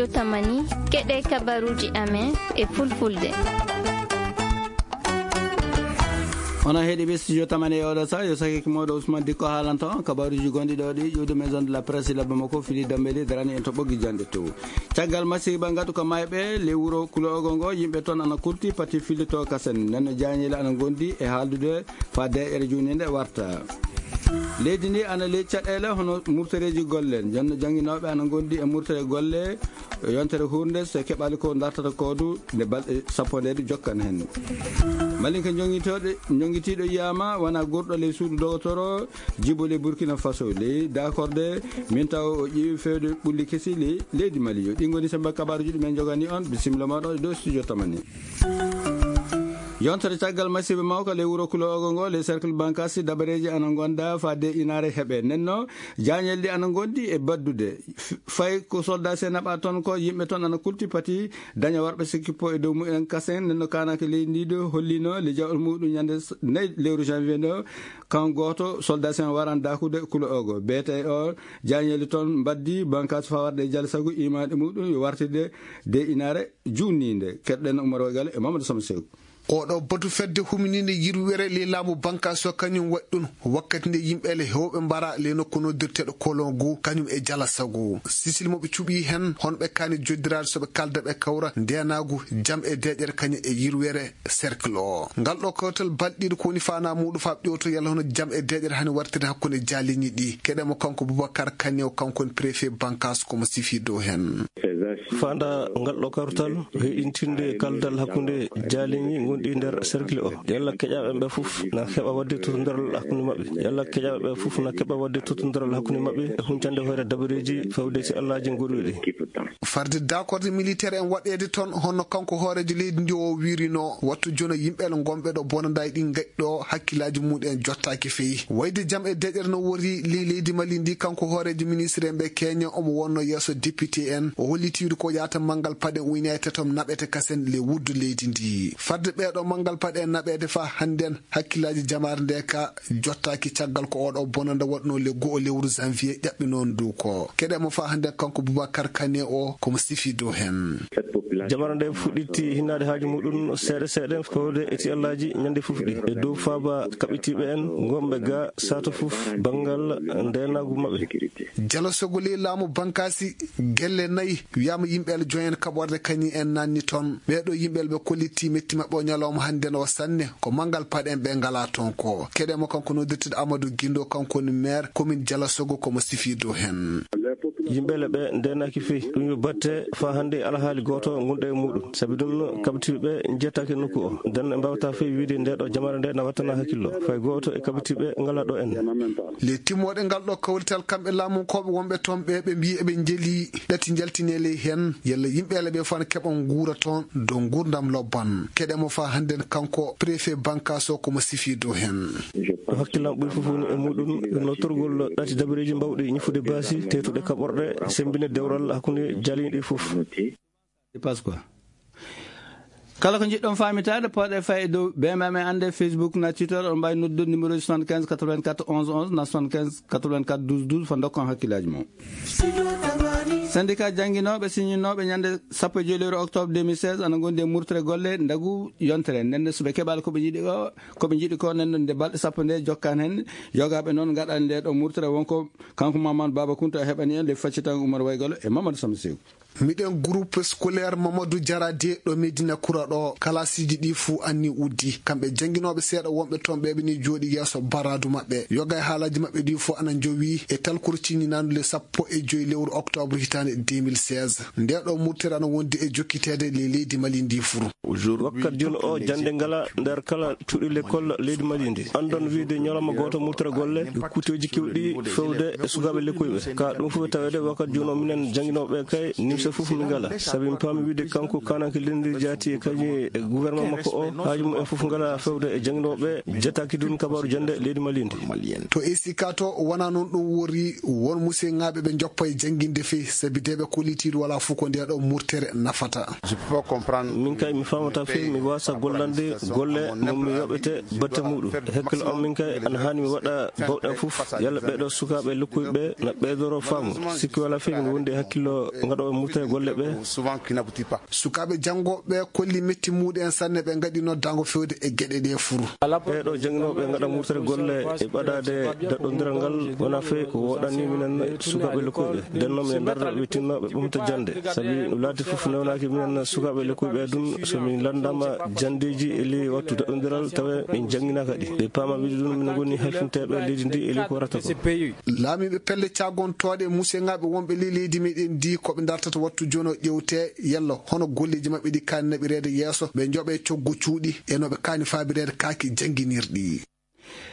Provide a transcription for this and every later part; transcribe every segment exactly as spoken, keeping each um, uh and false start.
Tamani, keɗe kabaruji amen e fulfulde. Onon heɗiɓe studio Tamani e oɗo sa, yo sakiki moɗo Ousmane Dikko haalanta on kabaruji gonɗi ɗo ɗi ƴuwde maison de la presse labba makko fili dambeli darani en to ɓoggi jande to. Caggal masiba ngaɗu ko mayɓe le wuro Kulo Ogo ngo, yimɓe toon ana kulti pati fillito kasen. Nden no jañele ana gondi e haaldude fa deƴere juni nde warta. Leydi ndi ana ley caɗele hono murtoreji golle. Jonno janginoɓe ana gondi e murtore golle. Yontere hurnde so keɓali ko dartata kodu nde balɗe sappo nde jokkan hen. Malinka jongitoɗo, jongitiɗo yiyama wona gurɗo ley suudu dogotoro jibo ley Burkina Faso ley dakorde min taw o ƴeewi fewde ɓulli kesi ley leydi Mali. Yo ɗi goni sembe kabaruji ɗumen jogani on. Bisimilla moɗon e dow studio Tamani. Yontere caggal masiba mawka ley wuro Kulo Ogo ngo ley cercle Bankasi dabareji ana gonda fa de inare heɓe nenno jañel ɗi ana gondi e baddude. F-, fay ko soldat se naɓa toon ko yimɓe toon ana kulti pati daña warɓe sikkipo e dow mumen kasen nenno kanake leydi ndi ɗo hollino le jawol muɗum ñande s-, nayi lewru janvier ɗo kan goto soldat se waran dakude Kulo Ogo bete o jañeli toon mbaddi Bankasi fa warde e jale sago imaɗe muɗum yo wartide de inare junninde. Keɗɗen Oumar Wagale e Mamadou Sama Sew. Oɗo batu fedde humininde yirwere ley laamu Bankaso kañum waɗi ɗum wakkati nde yimɓe le hewɓe mbara le nokku noddirteɗo Kolongu kañum e jala sago. Sisil mo ɓe cuɓi hen hono ɓe kani joddiraade so ɓe kalda ɓe kawra ndenagu jam e deƴere kañum e yirwere cercle o. Ngal ɗo kawtal balɗiɗo ko woni fana muɗum fa ƴewto yalla hono jam e deƴere hani wartirde hakkunde jaliñi ɗi. Keɗe mo kanko Boubacar Kane o kanko woni préfet Bankaso komo sifi dow hen. Fanda ngal ɗo kawtal heɗintinde kaldal hakkunde jaaliŋi gonɗi nder cercle o. Yalla keƴaɓe ɓe fof na keɓa wadde totondiral hakkunde maɓɓe. Yalla keƴaɓe ɓe fof na keɓa wadde totondiral hakkunde maɓɓe e huncande hoore dabareeji fawde si Allaaji goɗɗuɗi. Farde dakorde militaire en waɗeede toon, hono kanko hooreejo leydi ndi o wiirino, wattu jono yimɓe le ngonɓe ɗo bonandaay ɗi ngaɗi ɗo hakkillaaji mumen jottaaki feyi. Wayde jam e deƴere no wori ley leydi Mali ndi, kanko hooreejo ministre en ɓe keña omo wonno yeeso député en. O hollitiiru ko yaata manngal paɗe ujunaaji tatom naɓete kasen le wuddu leydi ndi. Fadde ɓeeɗo manngal paɗe naɓeede fa hannden, hakkillaaji jamaare nde ka jottaaki caggal ko oɗo bonanda waɗno le go'o lewru janvier ƴaɓɓi noon ndu ko. Keɗe mo fa hannden kanko Boubacar Kane o komo sifi dow hen. Jamaare nde fuɗɗiti hinnaade haaju muɗum seeɗa seeɗa fawde e ti Allaaji ñande fof ɗi. E dow faaba kaɓitiiɓe en ngonɓe ga sato fof banngal ndeenaagu maɓɓe. Jalo sogoli laamu Bankasi gelle nayi wiyama yimɓe le joyen kaɓorde kañi en nanni toon. Ɓeeɗo yimɓe le ɓe kolliti metti maɓɓe o ñalawma hannden o sanne ko manngal paɗen ɓe ngala toon ko. Keɗe mo kanko noddirteɗo Amadou Guindo kanko woni maire commune Jala Sogo komo sifi dow hen. Yimɓe le ɓe ndenaki fii ɗum yo batte fa hannde alhaali gooto gonɗo e muɗum. Sabi ɗum kaɓitiiɓe jettaki nokku o. Den ɓe mbawta fii wiide nde ɗo jamaare nde na wattana hakkillo. Fay gooto e kaɓitiiɓe ngala ɗo en. Le timmoɗe ngal ɗo kawrital kamɓe laamunkooɓe wonɓe toon ɓe ɓe mbiyi eɓe njeli ɗati njaltinele hen. Yalla yimɓe le ɓe fan keɓa nguura toon dow nguurdam lobban. Keɗe mo fa hannden kanko préfet Bankaso komo sifi dow hen. Ɗo hakkillam ɓuri fof woni e muɗum, nottorgol ɗati dabareeji mbawɗi ñifude baasi, teetuɗe kaɓorɗe, sembinde dewral hakkunde jaaliiɗi fof. Pasqua. Kala ko njiɗɗon faamitaade, pooɗe fay e dow B M M e annde Facebook na Twitter, on mbaawi noddude numéro soixante-quinze quatre-vingt-quatre onze onze na soixante-quinze quatre-vingt-quatre douze douze, fa ndokkon hakkillaaji mon. Syndicat jannginooɓe siñinooɓe ñande sappo e joy lewru octobre deux mille seize ana ngondi e murtere golle ndagu yontere. Nden so ɓe keɓaali ko ɓe njiɗi o, ko ɓe njiɗi ko, nden nde balɗe sappo nde jokkan hen, yogaaɓe noon ngaɗani nde ɗo murtere. Wonko kanko Mamadou Baba Kounta heɓani en le faccitan Oumar Waygalo e Mamadou Samsiw. Miɗen groupe scolaire Mamadou Diarra de ɗo Medina Kura ɗo, kalasiiji ɗi fuu anni uddi. Kamɓe jannginooɓe seeɗa wonɓe toon ɓe ɓe ni jooɗi yeeso baradu maɓɓe. Yoga e haalaji maɓɓe ɗi fuu ana njowi e talkuru ciññinaandu le sappo e joy lewru octobre hitaande deux mille seize. Nde ɗo murtere ana wondi e jokkiteede le leydi Mali ndi fuu. Wakkat jooni o jannde ngala nder kala cuuɗi lekkol leydi Mali ndi. Anndon wiide ñalawma gooto murtere golle, e kuuteeji keewɗi fewde e sukaaɓe lekkoyɓe. Ka ɗum fof taweede wakkat jooni o minen jannginooɓe kay nimse fof min ngala. Sabi mi paami wiide kanko kananke leydi ndi jaati e kañum e gouvernement makko o, haaju mum en fof ngala fewde e jannginooɓe, jetaaki ɗum kabaaru jannde leydi Mali ndi. To esika to wona noon ɗum wori, won museŋaaɓe ɓe njoppa e jannginde fey, sabi de ɓe kollitiiɗo wala fof ko nde ɗo murtere nafata. Min kay mi faamata fey, mi waasa gollande golle mo mi yoɓete batte muɗum. E hakkille am min kay ana haani mi waɗa bawɗam fof, yalla ɓeeɗo sukaaɓe lokkoyɓe na ɓeydoro faamu. Sikki wala fey min wondi e hakkillo ngaɗooɓe murtere. murte golle ɓe. Sukaaɓe janngooɓe ɓe kolli metti muuɗum en sanne, ɓe ngaɗi noddaango fewde e geɗe ɗe fuu. Ɓeeɗo jannginooɓe ngaɗa murtere golle e ɓadaade daɗɗondiral ngal wona fee ko woɗani minen sukaaɓe lekkoyɓe. Nden noon minen ndarda ɓe tinno ɓe ɓamta jannde. Sabi no laati fof newnaaki minen sukaaɓe lekkoyɓe adun, so min lanndaama janndeeji e ley wattu daɗɗondiral tawa min jannginaaka ɗi. Ɓe paama wiide ɗum min ngoni halfinteeɓe leydi ndi e ley ko warata ko. Laamiiɓe pelle caagontooɗe e musiyŋaaɓe wonɓe ley leydi meɗen ndi ko ɓe dartata wattu jono ƴewte yalla hono golleeji maɓɓe ɗi kaani naɓireede yeeso, ɓe njoɓe coggu cuuɗi e no ɓe kaani faabireede kaaki jannginirɗi.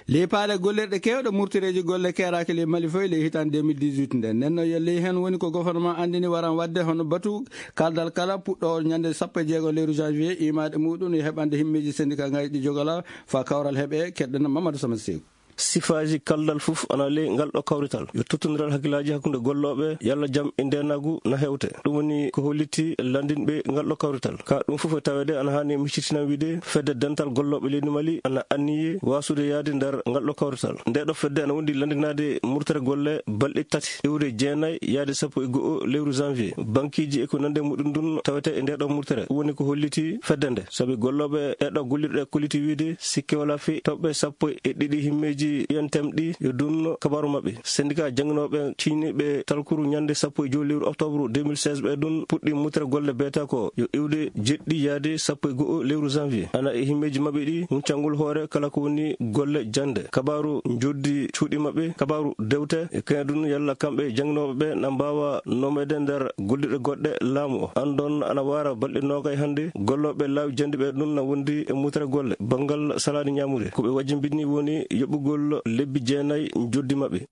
Ley paale gollirɗe keewɗe murtereeji golle keeraaki ley Mali foy ley hitaande deux mille dix-huit nde. Nden no yo ley heen woni ko gouvernement anndini waran waɗde hono batu kaldal kala puɗɗo ñande sappo e jeego lewru janvier imaade muɗum e heɓande himmeeji syndicat ngaji ɗi jogala fa kawral heɓe keɗɗen Mamadou Sama Seeku. Sifaaji kaldal fof ana ley ngal ɗo kawrital. Yo tottondiral hakkillaaji hakkunde gollooɓe, yalla jam e ndeenaagu na hewte. Ɗum woni ko holliti lanndinɓe ngal ɗo kawrital. Ka ɗum fof e taweede ana haani miccitinam wiide fedde dental gollooɓe leydi Mali ana anniyi waasude yaade nder ngal ɗo kawrital. Nde ɗo fedde ana wondi lanndinaade murtere golle balɗe tati, iwde jeenayi yaade sappo e go'o lewru janvier. Bankiiji e ko nande muɗum ɗum tawete e nde ɗo murtere. Ɗum woni ko holliti fedde nde. Sabi gollooɓe ɗe ɗo gollirɗe kolliti wiide sikke wala fii toɓɓe sappo e ɗiɗi himmeeji I N T M ɗi yo dunno kabaaru maɓɓe. Syndicat jannginooɓe ciiniiɓe talkuru ñande sappo e joy lewru octobre deux mille seize ɓe ɗum puɗɗi mutere golle beeta ko yo iwde jeɗɗi yaade sappo e go'o lewru janvier. Ana e himmeeji maɓɓe ɗi huncangol hoore kala ko woni golle jannde. Kabaaru njoddi cuuɗi maɓɓe, kabaaru dewte e kañum ɗum yalla kamɓe jannginooɓe ɓe na mbaawa nomeede nder gollirɗe goɗɗe laamu o. Anndon ana waara balɗe noogay hannde gollooɓe laawi jannde ɓe ɗum na wondi e mutere golle banngal salaade ñaamude. Ko ɓe wajjimbini woni yoɓugol lebbi jeenayi njoddi maɓɓe.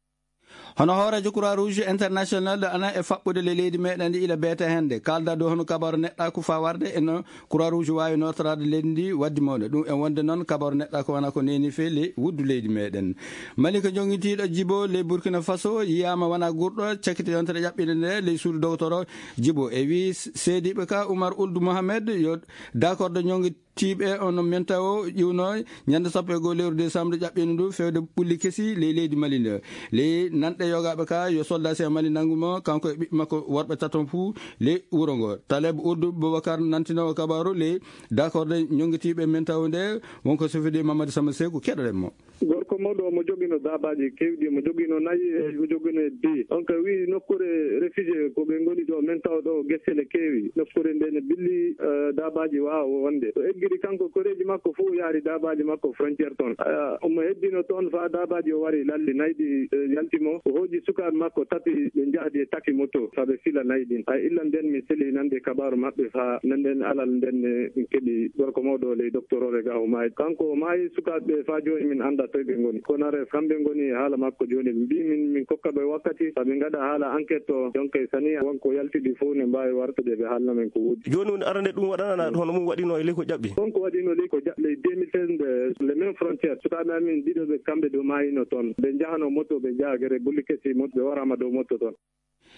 Hono hooreejo Croix Rouge International ana e faɓɓude le leydi meɗen ndi ila beete hannde. Kalda dow hono kabaru neɗɗa ko fa warde e no Croix Rouge waawi nootoraade leydi ndi waddi mawɗe. Ɗum en wonde noon kabaru neɗɗa ko wana ko neeni fee le wuddu leydi meɗen. Mali ko jongitiiɗo Jibo le Burkina Faso yiyaama wana gurɗo cakkite yontere ƴaɓɓinde nde ley suudu dogotoro Jibo e wi seediiɓe ka Oumar Ould Mohamed yo d'accord de ñongi tiiɓe on menta o ƴiwno ñande sappo e goo lewru décembre ƴaɓɓino ndu fewde ɓulli kesi ley leydi Mali nde. Ley nanɗe yogaaɓe ka yo soldat si Mali nanngu mo kanko e ɓiɓɓe makko worɓe taton fuu ley wuro ngo. Taleb Ould Boubacar nantinoowo kabaaru ley d'accord de ñonngitiiɓe menta o nde wonko sofidi Mamadou Sama Seeku keɗoɗen mo. Gorko mawɗo omo jogino daabaaji keewɗi, omo jogino nayi, e omo jogino e beyi. Donc, wi nokkuure réfugié ko ɓe ngoni ɗo, men taw ɗo gese ne keewi. Nokkuure nde ne billi, eh, daabaaji waawa wonde. O eggiri kanko koreeji makko fof, o yaari daabaaji makko frontière toon. Ah, omo heddino toon faa daabaaji o wari lalli, nayi ɗi, eh, yalti mo. O hooƴi sukaaɓe makko tati, ɓe njahdi e taki moto, faa ɓe fila nayi ɗin. Ay, illa nden mi seli nande kabaaru maɓɓe faa nanden alal nden ne min keɓi gorko mawɗo ley docteur o ga o maayi. Kanko o maayi, sukaaɓe ɓe faa jooni min anndaa toy ɓe ngoni. Konare kamɓe ngoni e haala makko jooni. Ɓe mbii min, min kokka ɓe wakkati, faa ɓe ngaɗa haala enquête o. Donc, sani won ko yaltidi fof ne mbaawi wartude ɓe haalna min ko woodi. Jooni woni arande ɗum waɗana hono mum waɗino e ley ko ƴaɓɓi? Won ko waɗino ley ko ƴaɓɓi ley deux mille seize nde, les mêmes frontières. Sukaaɓe amin ɗiɗo ɓe kamɓe ɗo maayino toon. Ɓe njahano moto, ɓe njaha gere bulli kesi moto, ɓe waraama dow moto toon.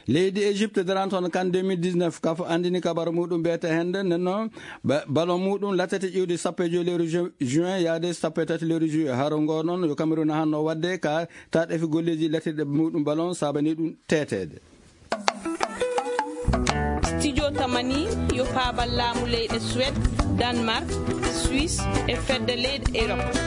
Leydi Égypte daranta hono kan deux mille dix-neuf, kafo anndini kabaru muɗum beete hende, nden noon ba-, ballon muɗum lattete iwde sappo e joy lewru ju-, juin yaade sappo e tati lewru juillet. Haro ngo noon yo Cameroun hanno waɗde ka taɗefi golleeji lattirɗe muɗum ballon saabani ɗum teteede. Studio Tamani yo paabal laamu leyɗe Suède, Danemark, Suisse e fedde leyɗe Europe.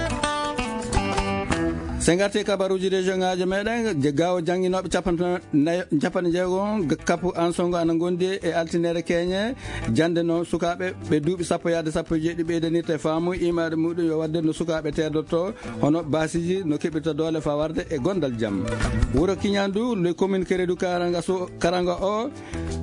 Sen ngarti kabaruuji région ŋaaji meɗen, je gawo jannginooɓe capanɗe nayo, capanɗe jeego, g-, kapu ansongo ana ngondi e altinere keñe. Jannde noon sukaaɓe ɓe duuɓi sappo yaade sappo e jeeɗiɗi ɓeydanirta e faamu imaade muɗum yo waɗde no sukaaɓe teedotoo, hono baasiiji no keɓirta doole faa warde e gondal jam. Wuro Kiñandu, le commune Keredu Karanga so, Karanga o,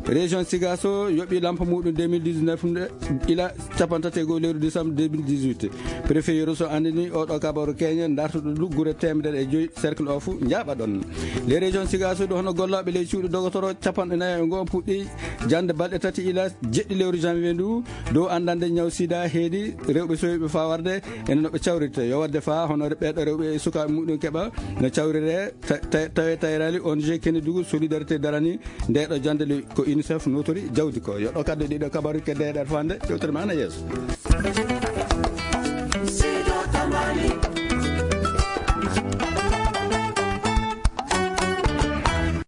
région Sigaso yoɓi lampa muɗum deux mille dix-neuf nde, ila capanɗe tati e go'o lewru décembre deux mille dix-huit. Préfet Yoro Sow anndini oɗo kabaru keñe dartuɗo ɗo gure teemedere e joy cercle o fuu njaaɓa ɗon. Les régions Sigaso ɗo hono gollooɓe ley cuuɗi dogotoro capanɗe nayo e go'o puɗɗi jannde balɗe tati ila jeɗɗi lewru janvier ndu dow anndande ñaw sida heedi rewɓe sowiɓe faa warde ene no ɓe cawrirte. Yo waɗde faa hono ɓeeɗo rewɓe e sukaaɓe muɗum keɓa no cawrire ta-, ta-, tawe tayrali O N G Kenedugu Solidarité darani nde ɗo jannde le ko UNICEF notori jawdi ko. Yo ɗo kadde ɗiɗo kabaru kedde e ɗer fande, yewtere ma ana yeeso.